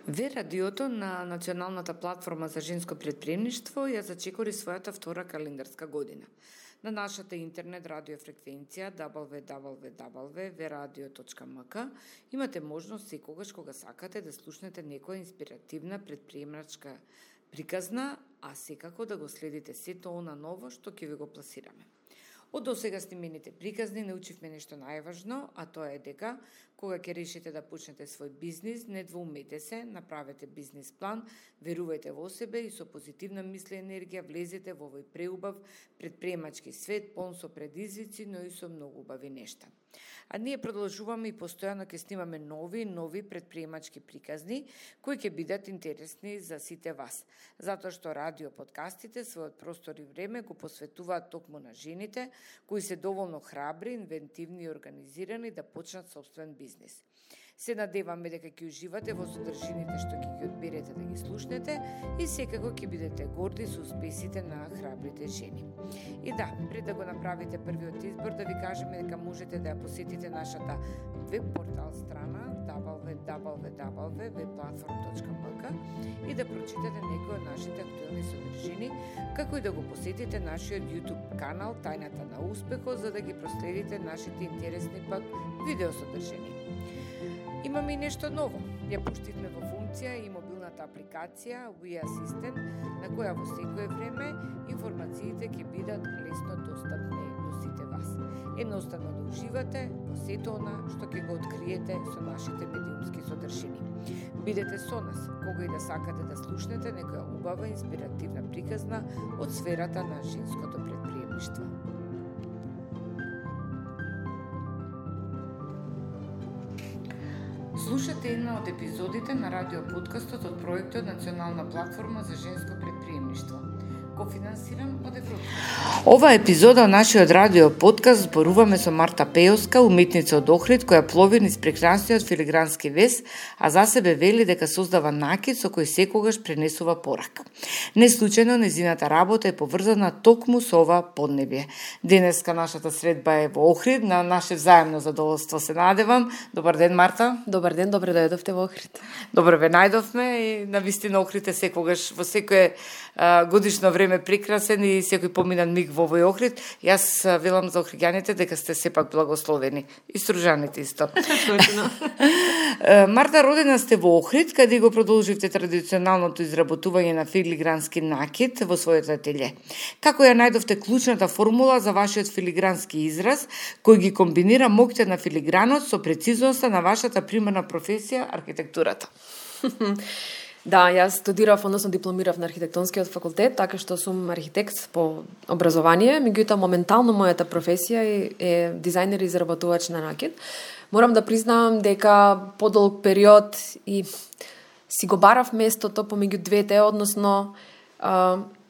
Ве радиото на Националната платформа за женско претприемништво ја зачекори својата втора календарска година. На нашата интернет радиофреквенција www.veradio.mk имате можност секогаш кога сакате да слушнете некоја инспиративна претприемачка приказна, а секако да го следите сето она ново што ќе ви го пласираме. Од досега снимените приказни научивме нешто најважно, а тоа е дека кога ќе решите да почнете свој бизнис, не двоумете се, направете бизнис план, верувајте во себе и со позитивна мисла и енергија влезете во овој преубав претприемачки свет, полн со предизвици, но и со многу убави нешта. А ние продолжуваме и постојано ќе снимаме нови претприемачки приказни, кои ќе бидат интересни за сите вас. Затоа што радио подкастите својот простор и време го посветуваат токму на жените, кои се доволно храбри, инвентивни и организирани да почнат собствен бизнис. Се надеваме дека ќе уживате во содржините што ќе ги одберете да ги слушнете и секако ќе бидете горди со успесите на храбрите жени. И да, пред да го направите првиот избор, да ви кажеме дека можете да ја посетите нашата веб портал страна www.webplatform.mk и да прочитате некои од нашите актуелни содржини, како и да го посетите нашиот YouTube канал Тајната на успехот, за да ги проследите нашите интересни пак видео содржини. Имаме и нешто ново. Ја пуштивме во функција и мобилната апликација We Assistant, на која во секое време информациите ќе бидат лесно достапни до сите вас. Едноставно да уживате во сето она што ќе го откриете со нашите медиумски содржини. Бидете со нас, кога и да сакате да слушнете некоја убава инспиративна приказна од сферата на женското претприемништво. Слушате една од епизодите на радиоподкастот од проектот Национална платформа за женско претприемништво, кофинансиран од Европа. Ова епизода од нашиот радио подкаст зборуваме со Марта Пејовска, уметница од Охрид, која плови низ прекрасниот филигрански вес, а за себе вели дека создава накид со кој секогаш пренесува порака. Не случајно незината работа е поврзана токму со ова поднебје. Денеска нашата средба е во Охрид, на наше взаемно задоволство се надевам. Добар ден, Марта. Добар ден, добре дојдовте во Охрид. Добре ве најдовме и навистина Охрид е секогаш во секое годишно време прекрасен и секој поминан миг во овој Охрид. Јас велам за охриѓаните дека сте сепак благословени. И стружаните исто. Марта, родена сте во Охрид, каде го продолживте традиционалното изработување на филигрански накид во својот ателје. Како ја најдовте клучната формула за вашиот филигрански израз, кој ги комбинира моќта на филигранот со прецизноста на вашата примарна професија, архитектурата? Да, јас студирав, односно дипломирав на архитектонскиот факултет, така што сум архитект по образование, меѓутоа моментално мојата професија е дизајнер и изработувач на накид. Морам да признавам дека подолг период и си го барав местото помеѓу двете, односно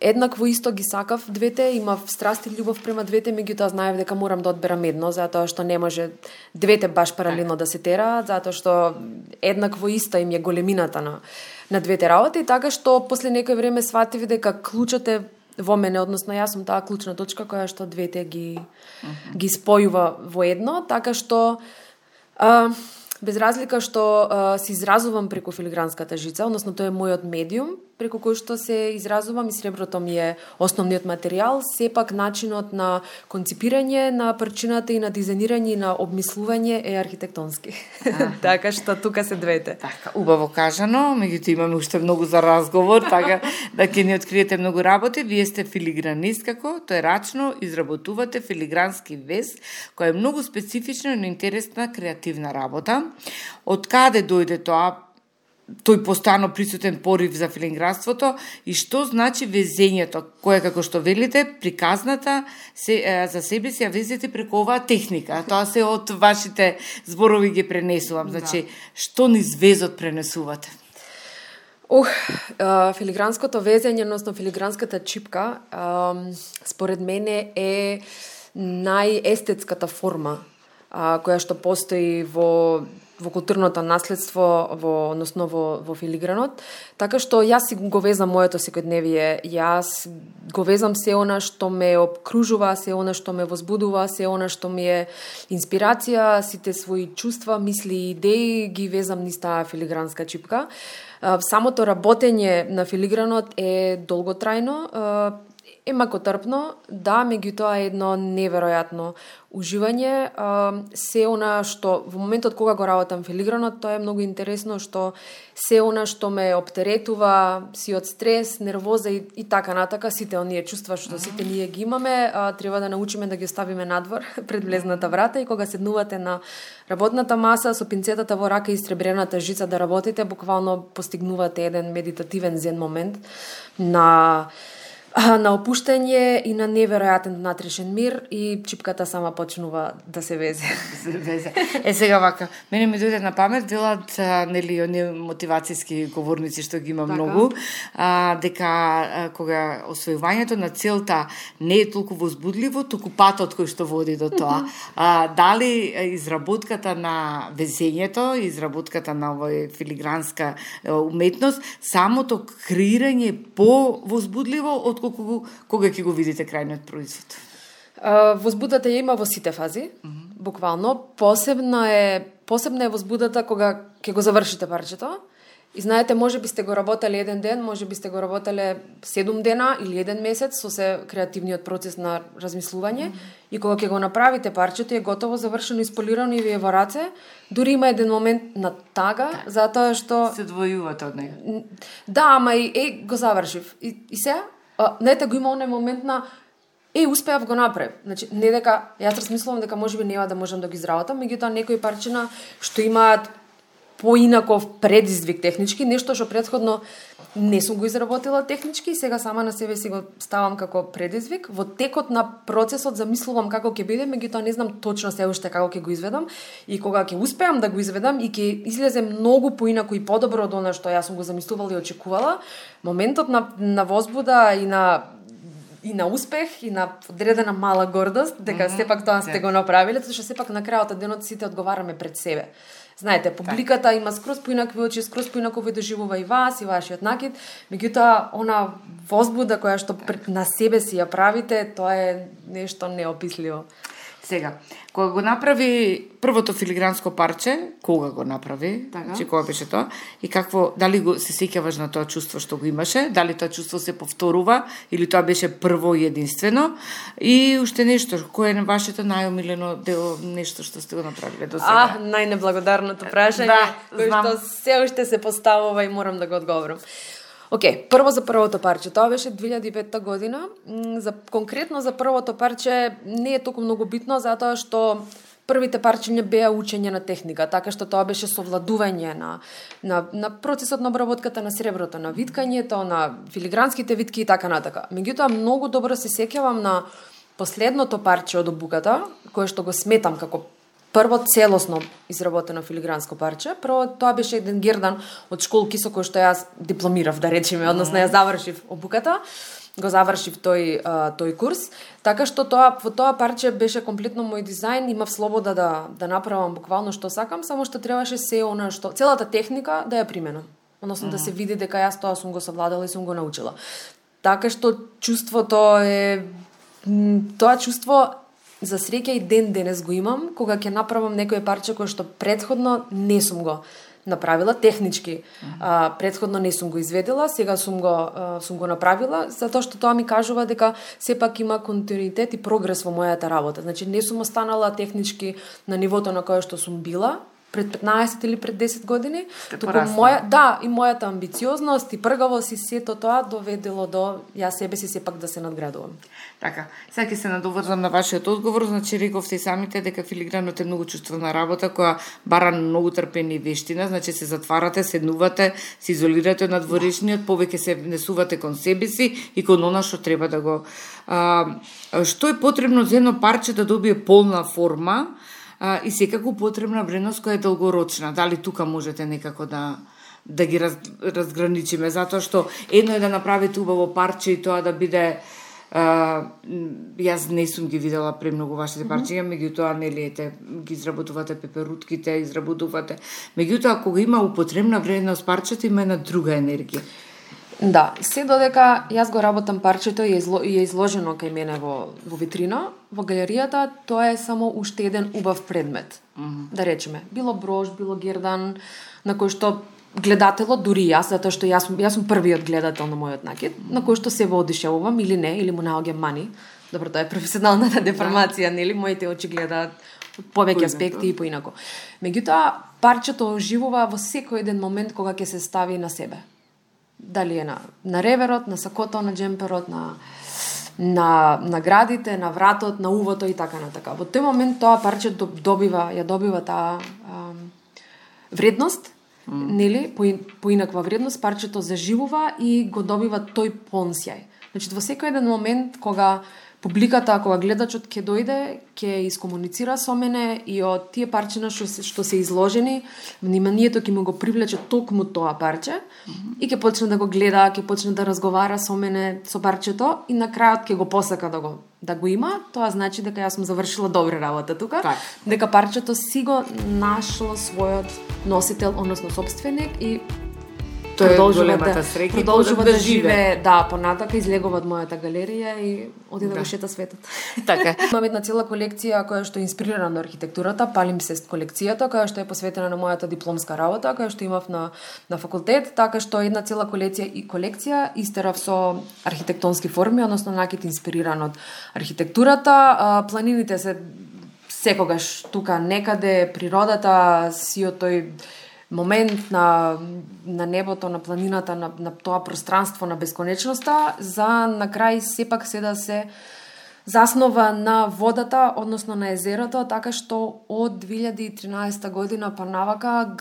еднакво исто ги сакав двете, имав страст и љубов према двете, меѓутоа знаев дека морам да одберам едно, затоа што не може двете баш паралелно да се тераат, затоа што еднакво иста им е големината на двете работи, така што после некој време сватив дека клучот е во мене, односно јас сум таа клучна точка која што двете ги спојува во едно, така што без разлика што се изразувам преку филигранската жица, односно тоа е мојот медиум преку кој што се изразувам и среброто ми е основниот материјал, сепак начинот на конципирање на парчината и на дизајнирање и на обмислување е архитектонски. Така што тука се двете. Така, убаво кажано, меѓутоа имаме уште многу за разговор, така да ќе ни откриете многу работи. Вие сте филигранист, како тоерачно изработувате филигрански вес, која е многу специфична и интересна креативна работа. Од каде дојде тоа? Тој постојано присутен порив за филигранството и што значи везењето, кое како што велите, приказната за себе си ја везете преку оваа техника. Тоа се од вашите зборови ги пренесувам. Значи, што низ везот пренесувате? Филигранското везење, односно филигранската чипка, според мене е најестетската форма која што постои во во културното наследство, односно во филигранот, така што јас си го везам моето секојдневие, јас го везам се она што ме обкружува, се она што ме возбудува, се она што ми е инспирација, сите своји чувства, мисли и идеи ги везам низ таа филигранска чипка. Самото работење на филигранот е долготрајно, е макотрпно, да, меѓутоа е едно неверојатно уживање. Се она што во моментот кога го работам филигранот, тоа е многу интересно, што се она што ме оптеретува, си од стрес, нервоза и така натака, сите оние чувства што сите ние ги имаме, треба да научиме да ги оставиме надвор пред влезната врата и кога седнувате на работната маса со пинцетата во рака и сребрената жица да работите, буквално постигнувате еден медитативен зен момент на опуштање и на неверојатен внатрешен мир и чипката сама почнува да се везе. Сега вака, мене ми дојде на памет, велат, нели, оние мотивацијски говорници што ги има многу, дека кога освојувањето на целта не е толку возбудливо, туку патот кој што води до тоа. Дали изработката на везењето, изработката на овој филигранска уметност, самото креирање по-возбудливо од кога ќе го видите крајниот производ? Возбудата ја има во сите фази, буквално. Посебна е возбудата кога ќе го завршите парчето. И знаете, може би сте го работеле еден ден, може би сте го работеле 7 дена или 1 месец со се креативниот процес на размислување и кога ќе го направите парчето е готово, завршено, исполирано и ви е во раце, дури има еден момент на тага, затоа што се двојувате од него. Да, ама го завршив. И сега знаете, го има оној момент на успеав, го направив. Значи, не дека јас размислувам дека можеби нема да можам да ги изработам, меѓутоа некои парчина што имаат поинаков предизвик технички, нешто што претходно не сум го изработила технички, сега сама на себе си го ставам како предизвик. Во текот на процесот замислувам како ќе биде, меѓутоа не знам точно се уште како ќе го изведам и кога ќе успеам да го изведам и ќе излезе многу поинако и подобро од она што јас сум го замислувала и очекувала, моментот на возбуда и на успех и на одредена мала гордост дека сепак тоа сте го направиле, затоа што сепак на крајот од денот сите одговараме пред себе. Знаете, публиката има скроз поинакви очи, скроз поинако ви доживува и вас, и вашиот накид, меѓутоа она возбуда која што на себе си ја правите, тоа е нешто неописливо. Сега, кога го направи првото филигранско парче, кога го направи, значи кога беше тоа, и какво, дали се сеќаваш на тоа чувство што го имаше, дали тоа чувство се повторува, или тоа беше прво и единствено, и уште нешто, кој е вашето најомилено дело, нешто што сте го направиле до сега? Најнеблагодарното прашање, кој што се уште се поставува и морам да го одговорам. Прво за првото парче, тоа беше 2005 година. Конкретно за првото парче не е толку многу битно, затоа што првите парчиња беа учење на техника, така што тоа беше совладување на процесот на обработката на среброто, на виткањето, на филигранските витки и така натака. Меѓутоа, многу добро се сеќавам на последното парче од обуката, кое што го сметам како прво целосно изработено филигранско парче. Прво тоа беше еден гердан од школки со кој што јас дипломирав, да речеме, односно ја завршив обуката, го завршив тој курс, така што во тоа парче беше комплетно мој дизајн, имав слобода да направам буквално што сакам, само што требаше се она што целата техника да ја применам, односно да се види дека јас тоа сум го совладала и сум го научила. Така што чувството е тоа чувство за среќа и денес го имам, кога ќе направам некој парче кој што претходно не сум го направила технички. Претходно не сум го изведела, сега сум го направила, затоа што тоа ми кажува дека сепак има континуитет и прогрес во мојата работа. Значи не сум останала технички на нивото на кое што сум била пред 15 или пред 10 години, туку мојата амбициозност и пргавост и сето тоа доведело до јас себе си сепак да се надградувам. Така, сега ќе се надоврзам на вашиот одговор, значи рековте самите дека филигранот е многу чувствена работа која бара многу трпение и вештина, значи се затварате, седнувате, се изолирате од надворешниот, повеќе се внесувате кон себе си и кон она што треба да го што е потребно за едно парче да добие полна форма и секако потребна вредност која е долгорочна. Дали тука можете некако да ги разграничиме, затоа што едно е да направите убаво парче и тоа да биде Јас не сум ги видела премногу вашите парчиња, меѓутоа нели ете ги изработувате пеперутките, изработувате. Меѓутоа кога има употребна вредност парчето има една друга енергија. Да, се додека јас го работам парчето и е изложено кај мене во витрина, во галеријата, тоа е само уште еден убав предмет. Да речеме, било брош, било гердан, на кој што гледателот, дури јас, затоа што јас сум првиот гледател на мојот накид, на кој што се воодушевувам или не, или му наоѓам мани. Добро, тоа е професионалната деформација, нели? Моите очи гледаат повеќе аспекти и поинако. Меѓутоа, парчето оживува во секој еден момент кога ќе се стави на себе. Дали е на реверот, на сакото, на джемперот, на наградите, на вратот, на увото и така натака. Во тој момент тоа парче добива таа вредност, нели, поинаква вредност, парчето заживува и го добива тој понсјај. Значи, во секој еден момент кога публиката, кога гледачот ќе дојде, ќе искомуницира со мене и од тие парчина што се изложени, вниманието ќе му го привлече токму тоа парче и ќе почне да го гледа, ќе почне да разговара со мене, со парчето и на крајот ќе го посака да го има. Тоа значи дека јас сум завршила добра работа тука, дека парчето си го нашло својот носител, односно собственик и продолжува да живее, понатака излегува од мојата галерија и оди да го шета светот. Така. Имам една цела колекција која што е инспирирана од архитектурата, Palimpsest колекцијата, која што е посветена на мојата дипломска работа, која што имав на факултет, така што една цела колекција истерав со архитектонски форми, односно накид инспириран од архитектурата. Планините се секогаш тука некаде, природата, сиот тој момент на небото, на планината, на тоа пространство на бесконечноста, за на крај сепак се да се заснова на водата, односно на езерото, така што од 2013 година па навака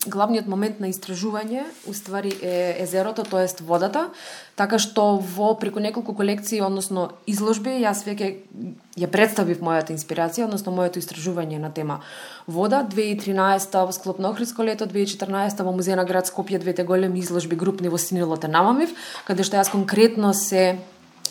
главниот момент на истражување уствари е езерото, тоест водата, така што преку неколку колекции, односно изложби, јас веќе ја представив мојата инспирација, односно моето истражување на тема вода. 2013 во склоп на Охридско лето, 2014 во Музеј на град Скопје, двете големи изложби групни во Синилот намамив, каде што јас конкретно се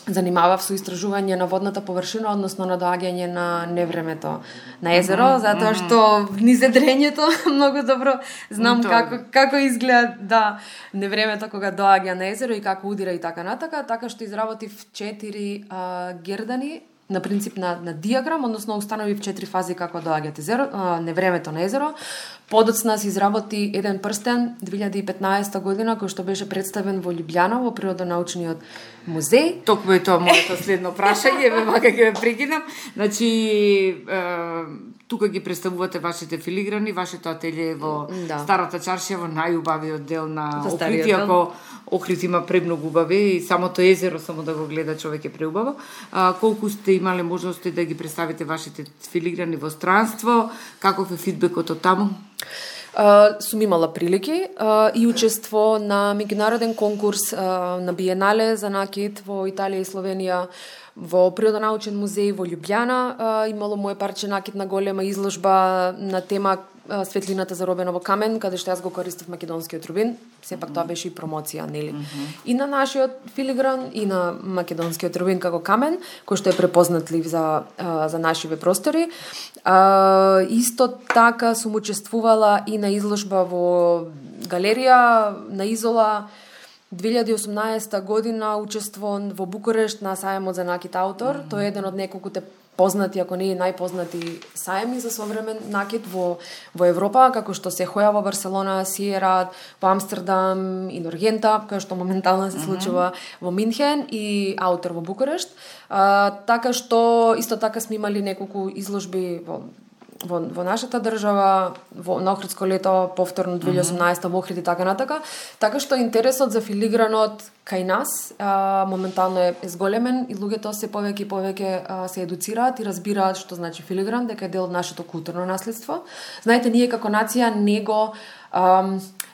занимавав со истражување на водната површина, односно на доаѓање на невремето на езеро, затоа што низ едрењето многу добро знам како изгледа невремето кога доаѓа на езеро и како удира и така натака, така што изработив 4 гердани на принцип на диаграм, односно установив 4 фази како доаѓа невремето на езеро. Подоцна се изработи еден прстен 2015 година кој што беше представен во Љубљана во Природонаучниот музеј. Токму е тоа моето следно прашање, вака ќе ве прекинам. Значи тука ги представувате вашите филиграни, вашето ателје во Старата чаршија, во најубавиот дел на Охрид, иако Охрид има премногу убави и самото езеро само да го гледа човек е преубаво. Колку сте имале можности да ги представите вашите филиграни во странство, каков е фидбекот од таму? Сум имала прилики и учество на меѓународен конкурс на Биенале за накид во Италија и Словенија, во Природонаучен музеј во Љубљана. Имало моје парче накид на голема изложба на тема светлината заробена во камен, каде што јас го користев македонскиот рубин. Сепак тоа беше и промоција, нели? И на нашиот филигран, и на македонскиот рубин како камен, кој што е препознатлив за нашиве простори. Исто така сум учествувала и на изложба во галерија на Изола 2018 година, учество во Букурешт на сајамот за накид аутор. Тој е еден од неколкуте познати, ако не и најпознати сајми за современ накид во Европа, како што се Хоја во Барселона, Сиерат во Амстердам и Норгента, кој што моментално се случува во Минхен, и аутор во Букурешт. Така што исто така сме имали неколку изложби во нашата држава, на Охридско лето, повторно 2018 во Охрид и така натака. Така што интересот за филигранот кај нас моментално е зголемен и луѓето се повеќе и повеќе се едуцираат и разбираат што значи филигран, дека е дел од нашето културно наследство. Знаете, ние како нација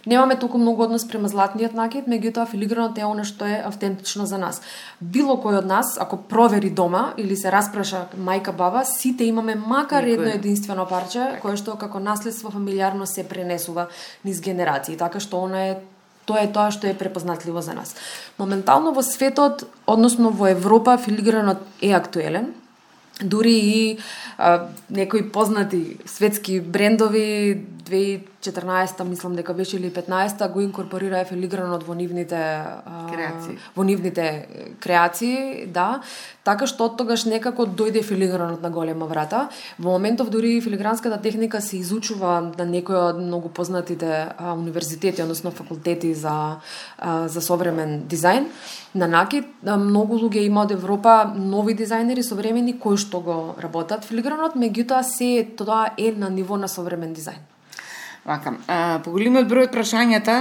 немаме толку многу однос према златниот накид, меѓутоа филигранот е она што е автентично за нас. Било кој од нас, ако провери дома или се распраша мајка, баба, сите имаме макар едно единствено парче, кое што како наследство фамилиарно се пренесува низ генерации, така што она е Тоа е тоа што е препознатливо за нас. Моментално во светот, односно во Европа, филигранот е актуелен. Дури и некои познати светски брендови 2014, мислам дека беше или 15-та, го инкорпорираа филигранот во нивните креации, да. Така што од тогаш некако дојде филигранот на голема врата. Во моментов дури филигранската техника се изучува на некои од многу познатите универзитети, односно факултети за современ дизајн. На накид, многу луѓе има од Европа нови дизајнери современи кои што го работат филигранот, меѓутоа се тоа е на ниво на современ дизајн. Вака, по големиот број од прашањата,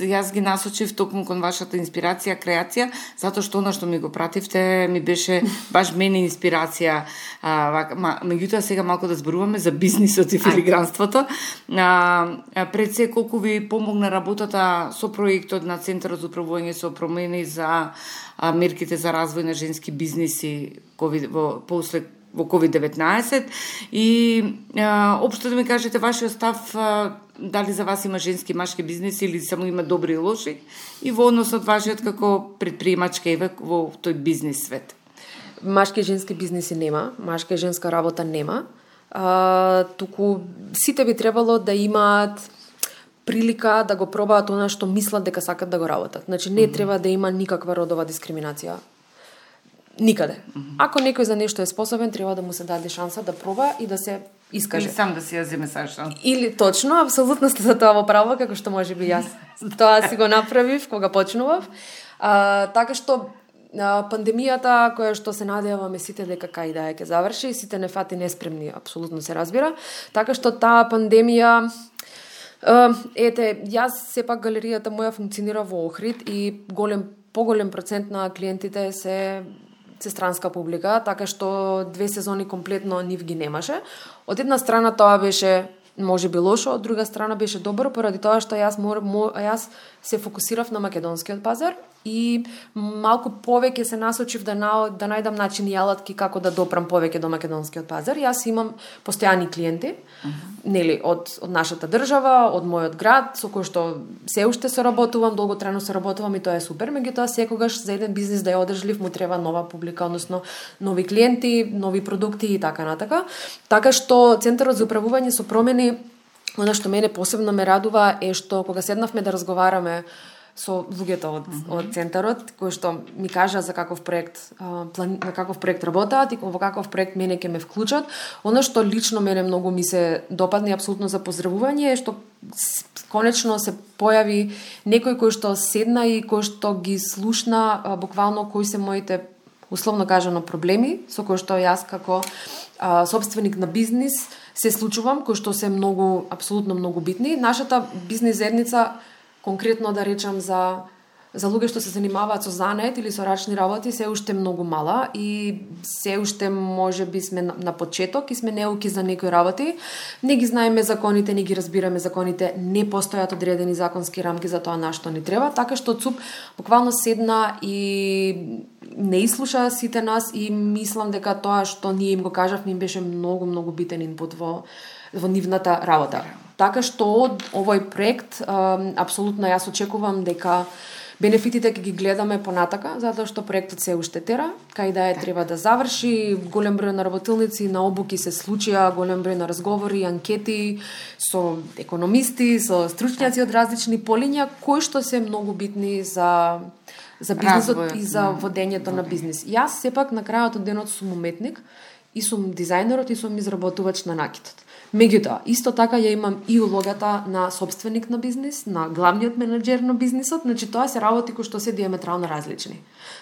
јас ги насочив токму кон вашата инспирација, креација, затоа што она што ми го пративте ми беше баш мене инспирација. Меѓутоа сега малку да зборуваме за бизнисот и филигранството. Пред се, колку ви помогна работата со проектот на Центарот за управување со промени за мерките за развој на женски бизниси после во COVID-19 и општо да ми кажете вашиот став, дали за вас има женски и машки бизнеси или само има добри и лоши, и во однос од вашиот како предприемачка во тој бизнес свет. Машки и женски бизнеси нема, машка и женска работа нема. Туку сите би требало да имаат прилика да го пробаат она што мислат дека сакат да го работат. Значи не треба да има никаква родова дискриминација. Никаде. Ако некој за нешто е способен, треба да му се даде шанса да проба и да се искаже. Или сам да си ја земе шанса. Или точно, апсолутно сте за тоа во право, како што можеби јас тоа си го направив кога почнував. Така што пандемијата, која што се надеваме сите дека кај да ќе заврши, и сите не фати неспремни, апсолутно се разбира. Така што таа пандемија јас сепак галеријата моја функционира во Охрид и поголем процент на клиентите се странска публика, така што 2 сезони комплетно нив ги немаше. Од една страна тоа беше можеби лошо, од друга страна беше добро, поради тоа што јас се фокусирав на македонскиот пазар и малку повеќе се насочив да најдам начини и алатки како да допрам повеќе до македонскиот пазар. Јас имам постојани клиенти, нели, од нашата држава, од мојот град, со кој што се уште соработувам, долготрајно соработувам и тоа е супер, меѓутоа секогаш за еден бизнис да ја одржлив му треба нова публика, односно нови клиенти, нови продукти и така натака. Така што Центарот за управување со промени, она што мене посебно ме радува е што кога седнавме да разговараме со луѓето од Центарот, кои што ми кажа за каков проект, на каков проект работат и во каков проект мене ќе ме вклучат. Оно што лично мене многу ми се допадне апсолутно за поздравување е што конечно се појави некој кој што седна и кој што ги слушна буквално кои се моите, условно кажано, проблеми со кои што јас како собственик на бизнис се случувам, кои што се многу, апсолутно многу битни. Нашата бизнис заедница, конкретно да речам за луѓе што се занимаваат со занет или со рачни работи, се уште многу мала и се уште можеби сме на почеток и сме неуки за некои работи. Не ги знаеме законите, не ги разбираме законите, не постојат одредени законски рамки за тоа на што ни треба, така што ЦУП буквално седна и не изслуша сите нас и мислам дека тоа што ние им го кажавме им беше многу битен инпут во нивната работа. Така што од овој проект апсолутно јас очекувам дека бенефитите ќе ги гледаме понатака, затоа што проектот се уште тера, кај да треба да заврши, голем број на работилници, на обуки се случија, голем број на разговори, анкети со економисти, со стручњаци од различни полиња, кои што се многу битни за бизнисот и за водењето на бизнис. Јас сепак на крајот од денот сум уметник и сум дизајнерот и сум изработувач на накитот. Меѓутоа, исто така ја имам и улогата на собственик на бизнис, на главниот менаџер на бизнисот, значи тоа се работи кои што се диаметрално различни.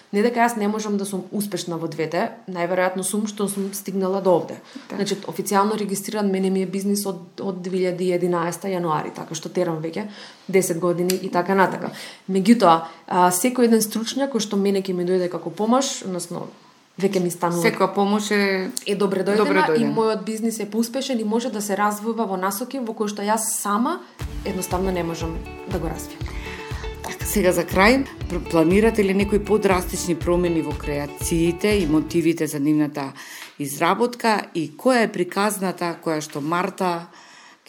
Не дека јас не можам да сум успешна во двете, најверојатно сум што сум стигнала до овде. Значи, официјално регистриран мене ми е бизнис од 2011 јануари, така што терам веќе 10 години и така натака. Меѓутоа, секој еден стручњак кој што мене ќе ми дојде како помош, односно веќе ми станува. Секоја помош е добре дојдена и мојот бизнис е поуспешен и може да се развива во насоки во кои што јас сама едноставно не можам да го развијам. Така, сега за крај, планирате ли некои подрастични промени во креациите и мотивите за нивната изработка и која е приказната која што Марта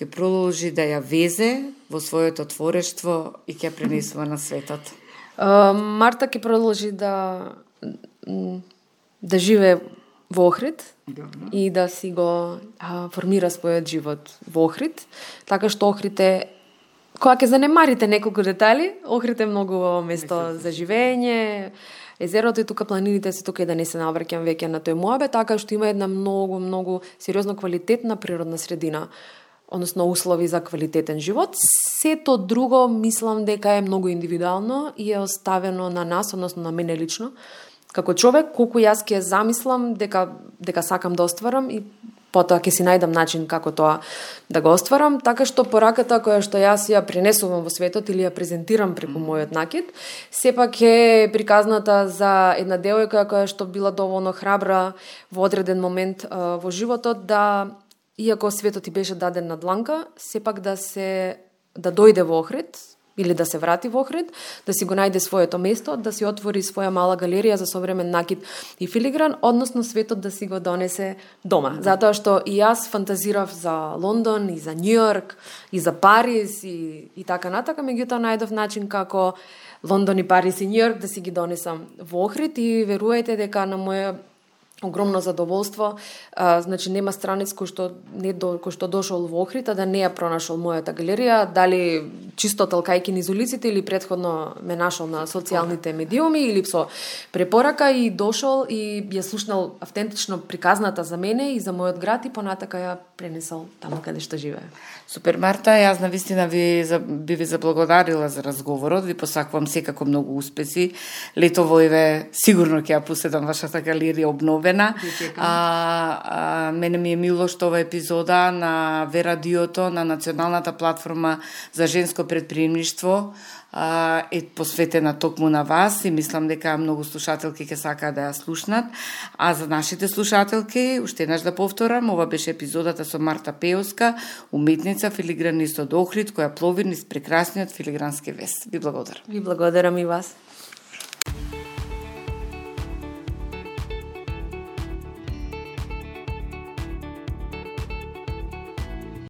ќе продолжи да ја везе во своето творештво и ќе пренесува на светот? Марта ќе продолжи да живее во Охрид и да си го формира својот живот во Охрид, така што Охрид е, кога ќе занемарите неколку детали, Охрид е многу место за живење, езерото и тука планините се тука и да не се навраќам веќе на тој моабет, така што има една многу сериозно квалитетна природна средина, односно услови за квалитетен живот. Сето друго мислам дека е многу индивидуално и е оставено на нас, односно на мене лично, како човек, колку јас ќе замислам дека сакам да остварам и потоа ќе си најдам начин како тоа да го остварам, така што пораката која што јас ја пренесувам во светот или ја презентирам преку мојот накид, сепак е приказната за една девојка која што била доволно храбра во одреден момент во животот да, иако светот ти беше даден на дланка, сепак да дојде во Охрид или да се врати во Охрид, да си го најде своето место, да си отвори своја мала галерија за современ накид и филигран, односно светот да си го донесе дома. Затоа што и јас фантазирав за Лондон и за Њујорк и за Париз и така натака, меѓутоа најдов начин како Лондон и Париз и Њујорк да си ги донесам во Охрид и верувајте дека на моја огромно задоволство, значи нема странец кој што дошол во Охрид, а да не ја пронашол мојата галерија, дали чисто талкајки низ улиците или претходно ме нашол на социјалните медиуми или со препорака и дошол и ја слушнал автентично приказната за мене и за мојот град и понатака ја пренесол таму каде што живее. Супер, Марта, јас навистина би ви заблагодарила за разговорот, ви посакувам секако многу успеси. Летово сигурно ќе ја поседам вашата галерија обновена. Мене ми е мило што ова епизода на Верадиото, на националната платформа за женско предприемништво, е посветена токму на вас и мислам дека многу слушателки ќе сакаат да ја слушнат. А за нашите слушателки, уште еднаш да повторам, ова беше епизодата со Марта Пеовска, уметница, филигранист од Охрид, која плови низ прекрасниот филигрански вес. Ви благодарам. Ви благодарам и вас.